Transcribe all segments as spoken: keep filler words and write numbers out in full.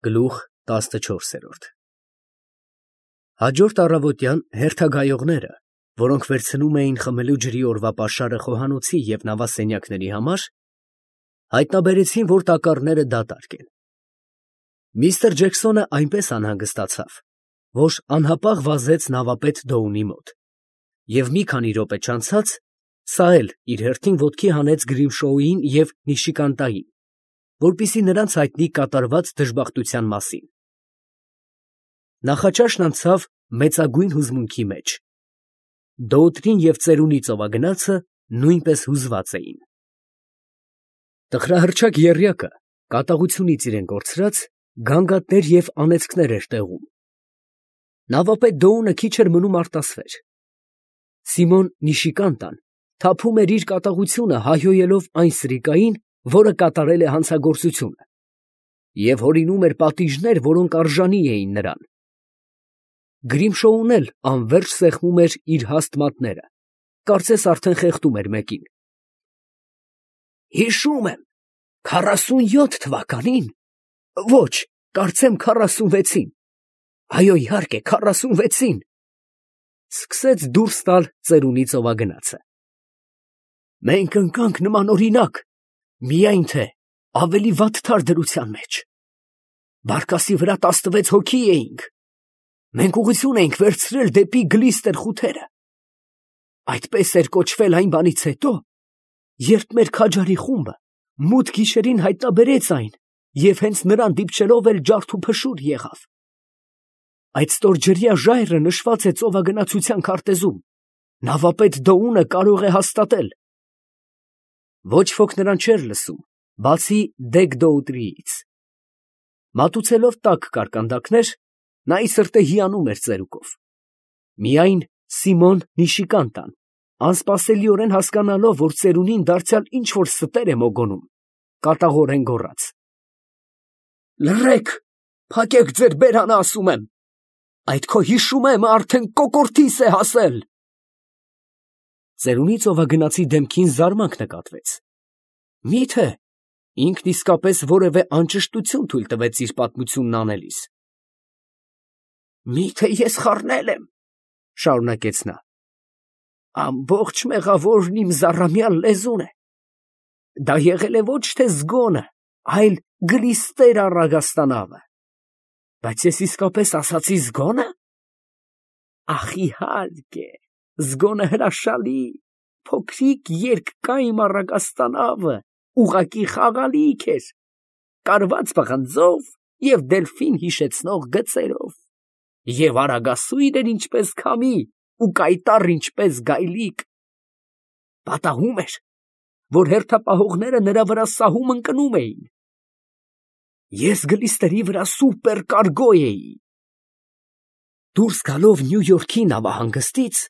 Գլուխ տասնչորսերորդ Հաջորդ առավոտյան հերթագայողները, որոնք վերցնում էին խմելու ջրի օրվա պաշարը խոհանոցի և նավասենյակների համար, հայտնաբերեցին, որ տակառները դատարկ են։ Միստր Ջեքսոնը այնպես անհանգստացավ, որ անհապաղ վազեց նավապետ Դոունի մոտ, և մի քանի րոպե չանցած սա էլ իր հերթին ոտքի հանեց Գրիմշոուին և Նիշիկանտային, որպեսզի նրանց հայտնի կատարված դժբախտության մասին։ Նախաճաշն անցավ մեծագույն հուզմունքի մեջ։ Դոուտրին և ծերունի ծովագնացը նույնպես հուզված էին։ Տխրահռչակ եռյակը կատաղությունից իրեն կորցրած գանգատներ և անեծքներ էր տեղում։ Նավապետ Դոունը քիչ էր մնում արտասվեր։ Սիմոն Նիշիկանտան թափում էր իր կատաղությունը հայհոյելով այն սրիկային, որը կատարել է հանցագործությունը, և հորինում էր պատիժներ, որոնք արժանի էին նրան։ Գրիմշոուն էլ անվերջ սեղմում էր իր հաստ մատները, կարծես արդեն խեղդում էր մեկին։ Հիշում եմ, քառասունյոթ թվականին, ոչ, կարծեմ քառասունվեցին, այո, իհարկե, քառասունվեցին, սկսեց դուրս տալ ծերունի ծովագնացը։ Մենք ընկանք նմանօրինակ, միայն թե ավելի վատթար դրության մեջ։ Բարկասի վրա տասնվեց հոգի էինք։ Մենք ուղղություն էինք վերցրել դեպի Գլիստեր խութերը։ Այդպես էր կոչվել այն բանից հետո, երբ մեր քաջարի խումբը մութ գիշերին հայտնաբերեց այն և հենց նրան դիպչելով էլ ջարդուփշուր եղավ։ Այդ ստորջրյա ժայռը նշված է ծովագնացության քարտեզում, նավապետ Դոունը կարող է հաստատել։ Ոչ ոք նրան չէր լսում, բացի Դեգ֊Դոուտրիից։ Մատուցելով տաք կարկանդակներ, նա ի սրտե հիանում էր ծերուկով։ Միայն Սիմոն Նիշիկանտան, անսպասելիորեն հասկանալով, որ ծերունին դարձյալ ինչ֊որ ստեր է մոգոնում, կատաղորեն գոռաց. Լռեք, փակեք ձեր բերանը, ասում եմ, այդ քո հիշում եմ արդեն կոկորդիս է հասել։ Ծերունի ծովագնացի դեմքին զարմանք նկատվեց։ Մի՞թե ինքն իսկապես որևէ անճշտություն թույլ տվեց իր պատմությունն անելիս։ Մի՞թե ես խառնել եմ, շարունակեց նա, ամբողջ մեղավորն իմ զառամյալ լեզուն է։ Դա եղել է ոչ թե զգոնը, այլ Գլիստեր առագաստանավը։ Բայց ես իսկապես ասացի զգո՞նը։ Ախ, իհարկե, զգոնը հրաշալի, փոքրիկ երկկայմ առագաստանավը ուղղակի խաղալիք էր, կարված պղնձով և դելֆին հիշեցնող գծերով, և արագասույր էր ինչպես քամի ու կայտառ ինչպես գայլիկ։ Պատահում էր, որ հերթապահողները նրա վրա սահում ընկնում էին։ Ես Գլիստերի վրա սուպեր կարգո էի։ Դուրս գալով Նյու Յորքի նավահանգստից,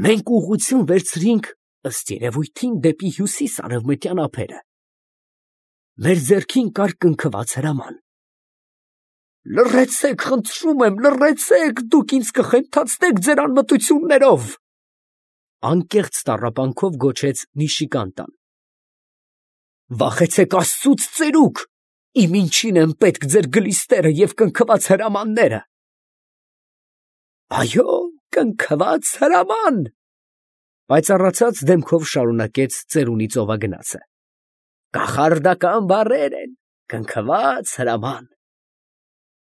մենք ուղղություն վերցրինք, ըստ երևույթին, դեպի հյուսիս֊արևմտյան ափերը։ Մեր ձեռքին կար կնքված հրաման։ Լռեցեք, խնդրում եմ, լռեցեք, դուք ինձ կխենթացնեք ձեր անմտություններով, անկեղծ տառապանքով գոչեց Նիշիկանտան։ Վախեցեք Աստծուց, ծերուկ, իմ ինչին են պետք ձեր Գլիստերը և կնքված հրամանները։ Այո, կնքված հրաման, պայծառացած դեմքով շարունակեց ծերունի ծովագնացը։ Կախարդական բառեր են, կնքված հրաման։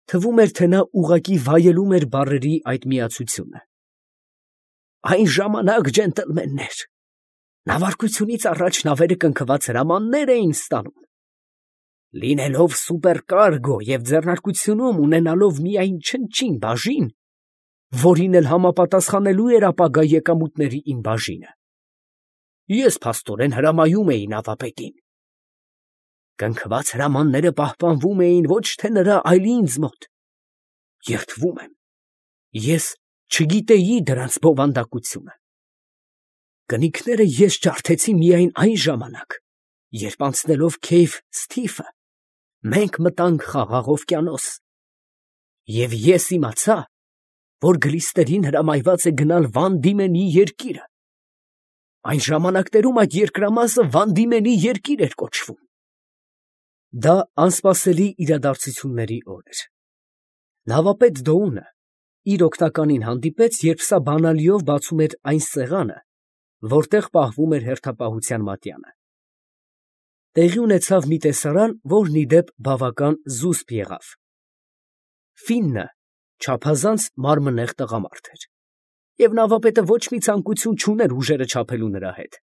Թվում էր, թե նա ուղղակի վայելում էր բառերի այդ միացությունը։ Այն ժամանակ, ջենտլմեններ, նավարկությունից առաջ նավերը կնքված հրամաններ էին ստանում։ Լինելով սուպերկարգո և ձեռնարկությունում ունենալով միայն չնչին բաժին, որին էլ համապատասխանելու էր ապագա եկամուտների իմ բաժինը, ես փաստորեն հրամայում էի նավապետին։ Կնքված հրամանները պահպանվում էին ոչ թե նրա, այլ ինձ մոտ։ Երդվում եմ, ես չգիտեի դրանց բովանդակությունը։ Կնիկները ես ջարդեցի միայն այն ժամանակ, երբ անցնելով Քեյֆ Սթիֆը, մենք մտանք Խաղաղ օվկիանոս, և ես իմացա, որ Գլիստերին հրամայված է գնալ Վան Դիմենի երկիրը։ Այն ժամանակներում այդ երկրամասը Վան Դիմենի երկիր էր կոչվում։ Դա անսպասելի իրադարձությունների օր էր։ Նավապետ Դոունը իր օգնականին հանդիպեց, երբ սա բանալիով բացում էր այն սեղանը, որտեղ պահվում էր հերթապահության մատյանը։ Տեղի ունեցավ մի տեսարան, որն ի դեպ բավական զուսպ եղավ։ Ֆիննը չափազանց մարմնեղ տղամարդ էր, և նավապետը ոչ մի ցանկություն չուներ ուժերը չափելու նրա հետ։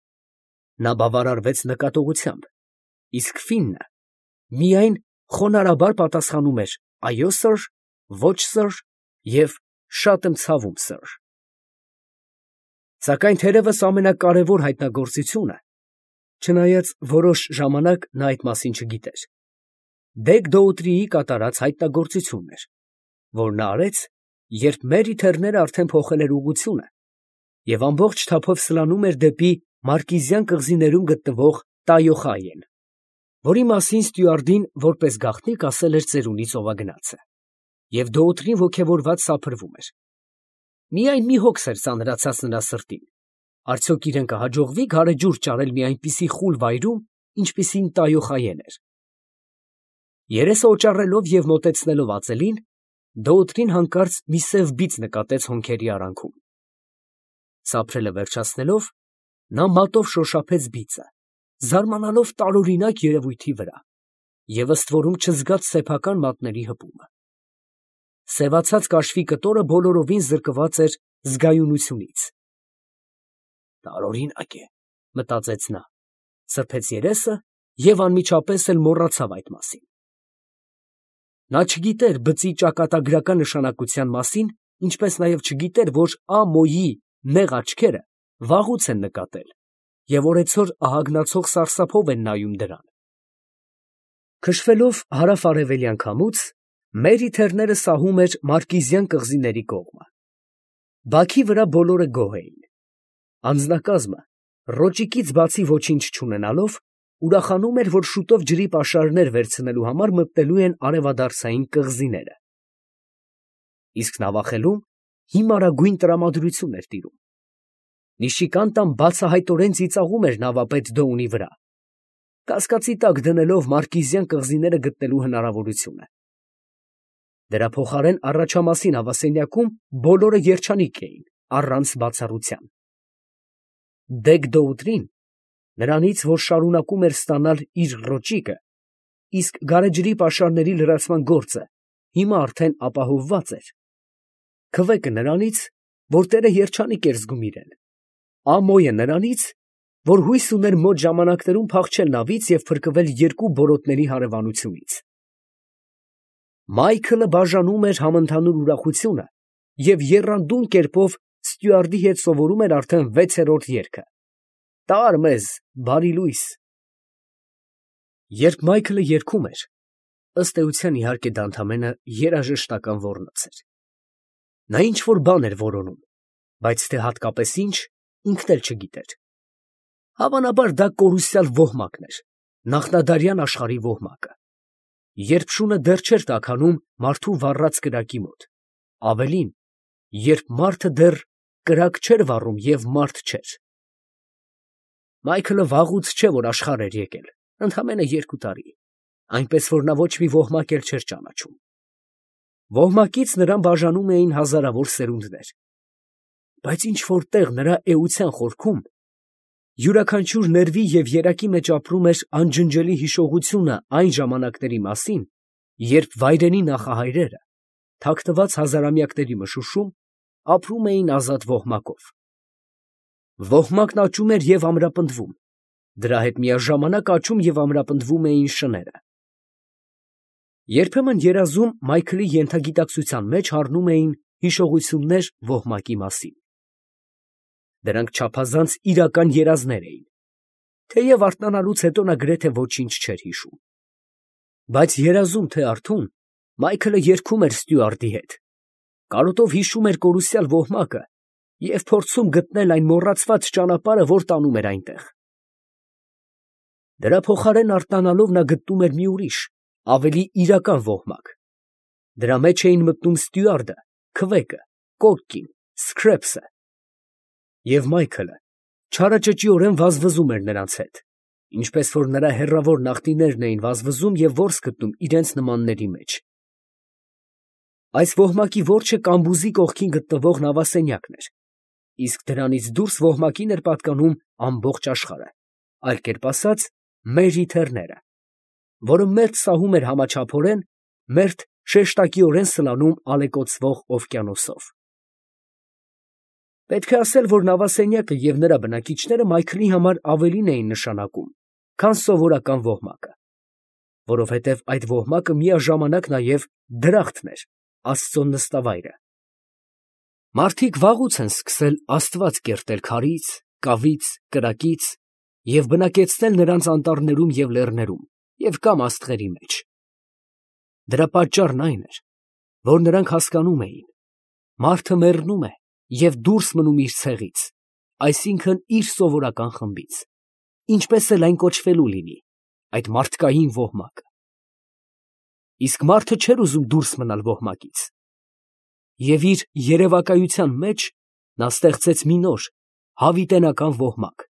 Նա բավարարվեց նկատողությամբ, իսկ Ֆիննը միայն խոնարհաբար պատասխանում էր «Այո, սըր», «Ոչ, սըր» և «Շատ եմ ցավում, սըր»։ Սակայն թերևս ամենակարևոր հայտնագործությունը, չնայած որոշ ժամանակ նա այդ մասին չգիտեր, Դեգ֊Դոուտրիի կատարած հայտնագործությունն էր, որ նա արեց, երբ Մերիթերները արդեն փոխել էր ուղղությունը և ամբողջ թափով սլանում էր դեպի Մարկիզյան կղզիներում գտնվող Տայոխայեն, որի մասին ստյուարդին որպես գաղտնիք ասել էր ծերունի ծովագնացը, և Դոուտրին ոգևորված սափրվում էր։ Միայն մի հոգս էր ծանրացած նրա սրտին. արդյոք իրեն կհաջողվի գարեջուր ճարել մի այնպիսի խուլ վայրում, ինչպիսին Տայոխայեն էր։ Երեսը օճառելով և մոտեցնելով ածելին, Դոուտրին հանկարծ մի սև բիծ նկատեց հոնքերի արանքում։ Սափրելը վերջացնելով, նա մատով շոշափեց բիծը, զարմանալով տարօրինակ երևույթի վրա և ըստ որում չզգաց սեփական մատների հպումը։ Սևացած կաշվի կտորը բոլորովին զրկված էր զգայունությունից։ «Տարօրինակ է», մտածեց նա, սրբեց երեսը և անմիջապես էլ մոռացավ այդ մասին։ Նա չգիտեր բծի ճակատագրական նշանակության մասին, ինչպես նաև չգիտեր, որ Ամոյի նեղ աչքերը վաղուց են նկատել և օրեցօր ահագնացող սարսափով են նայում դրան։ Քշվելով հարավ֊արևելյան քամուց, Մերիթերները սահում էր Մարկիզյան կղզիների կողմը։ Բաքի վրա բոլորը գոհ էին։ Անձնակազմը, ռոճիկից բացի ոչինչ չունենալով, ուրախանում էր, որ շուտով ջրի պաշարներ վերցնելու համար մտնելու են արևադարձային կղզիները։ Իսկ նավախելում հիմարագույն տրամադրություն էր տիրում։ Նիշիկանտան բացահայտորեն ծիծաղում էր նավապետ Դոունի վրա, կասկածի տակ դնելով Մարկիզյան կղզիները գտնելու հնարավորությունը։ Դրա փոխարեն առաջամասին հավասարյակում բոլորը երջանիկ էին, առանց բացառության։ Դեգ֊Դոուտրին նրանից, որ շարունակում էր ստանալ իր ռոճիկը, իսկ գարեջրի պաշարների լրացման գործը հիմա արդեն ապահովված էր, Քվեկը նրանից, որ տերը երջանիկ էր զգում իրեն, Ամոյը նրանից, որ հույս ուներ մոտ ժամանակներում փախչել նավից և փրկվել երկու բորոտների հարևանությունից։ Մայքլը բաժանում էր համընդհանուր ուրախությունը և եռանդուն կերպով ստյուարդի հետ սովորում էր արդեն վեցերորդ երգը. «Տա՛ր մեզ, բարի լույս»։ Երբ Մայքլը երգում էր, ըստ էության, իհարկե, դա ընդամենը երաժշտական ոռնոց էր։ Նա ինչ֊որ բան էր որոնում, բայց թե հատկապես ինչ, ինքն էլ չգիտեր։ Հավանաբար դա կորուսյալ ոհմակն էր, նախնադարյան աշխարհի ոհմակը, երբ շունը դեռ չէր տաքանում մարդու վառած կրակի մոտ, ավելին, երբ մարդը դեռ կրակ չէր վառում և մարդ չէր։ Մայքլը վաղուց չէ, որ աշխարհ էր եկել, ընդամենը երկու տարի, այնպես որ նա ոչ մի ոհմակ էլ չէր ճանաչում։ Ոհմակից նրան բաժանում էին հազարավոր սերունդներ, բայց ինչ֊որ տեղ նրա էության խորքում յուրաքանչյուր ներվի և երակի մեջ ապրում էր անջնջելի հիշողությունը այն ժամանակների մասին, երբ վայրենի նախահայրերը, թաքնված հազարամյակների մշուշում, ապրում էին ազատ ոհմակով։ Ոհմակն աճում էր և ամրապնդվում, դրա հետ միաժամանակ աճում և ամրապնդվում էին շները։ Երբեմն երազում Մայքլի ենթագիտակցության մեջ հառնում էին հիշողություններ ոհմակի մասին։ Դրանք չափազանց իրական երազներ էին, թեև արթնանալուց հետո նա գրեթե ոչինչ չէր հիշում։ Բայց երազում թե արթուն, Մայքլը երգում էր ստյուարդի հետ, կարոտով հիշում էր կորուսյալ ոհմակը և փորձում գտնել այն մոռացված ճանապարհը, որ տանում էր այնտեղ։ Դրա փոխարեն արթնանալով նա գտնում էր մի ուրիշ, ավելի իրական ոհմակ։ Դրա մեջ էին մտնում ստյուարդը, քվեկը, կոկկին, Սքրեփսը։ Եվ Մայքլը չարաճճիորեն վազվզում էր նրանց հետ, ինչպես որ նրա հեռավոր նախնիներն էին վազվզում և որս գտնում իրենց նմանների մեջ։ Այս ոհմակի որջը կամբուզի կողքին գտնվող նավասենյակն էր, իսկ դրանից դուրս ոհմակին էր պատկանում ամբողջ աշխարհը, այլ կերպ ասած, մեր իթեռները, որը մերթ սահում էր համաչափորեն, մերթ շեշտակիորեն սլանում ալեկոծվող օվկիանոսով։ Պետք է ասել, որ նավասենյակը և նրա բնակիչները Մայքլի համար ավելին էին նշանակում, քան սովորական ոհմակը, որովհետև այդ ոհմակը միաժամանակ նաև դրախտն էր, Աստծո նստավայրը։ Մարդիկ վաղուց են սկսել Աստված կերտել քարից, կավից, կրակից և բնակեցնել նրանց անտառներում և լեռներում և կամ աստղերի մեջ։ Դրա պատճառն այն էր, որ նրանք հասկանում էին. մարդը մեռնում է և դուրս մնում իր ցեղից, այսինքն իր սովորական խմբից, ինչպես էլ այն կոչվելու լինի, այդ մարդկային ոհմակը։ Իսկ մարդը չէր ուզում դուրս մնալ ոհմակից, և իր երևակայության մեջ նա ստեղծեց մի նոր, հավիտենական ոհմակ,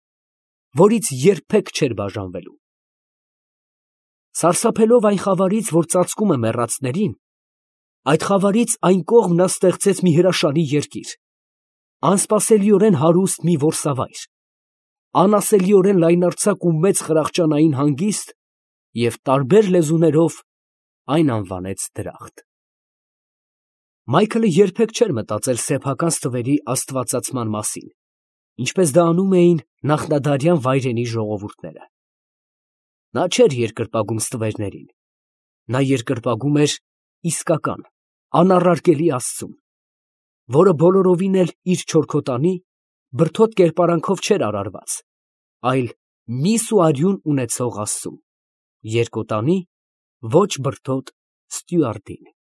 որից երբեք չէր բաժանվելու։ Սարսափելով այն խավարից, որ ծածկում է մեռածներին, այդ խավարից այն կողմ նա ստեղծեց մի հրաշալի երկիր, անսպասելիորեն հարուստ մի որսավայր, անասելիորեն լայնարձակ ու մեծ խրախճանային հանգիստ և տարբեր լեզուներով այն անվանեց դրախտ։ Մայքլը երբեք չէր մտածել սեփական ստվերի աստվածացման մասին, ինչպես դա անում էին նախնադարյան վայրենի ժողովուրդները։ Նա չէր երկրպագում ստվերներին, նա երկրպագում էր իսկական, անառարկելի Աստծուն, որը բոլորովին էլ իր չորքոտանի, բրդոտ կերպարանքով չէր արարված, այլ միս ու արյուն ունեցող Աստծուն, երկոտանի, ոչ բրդոտ ստյուարդին։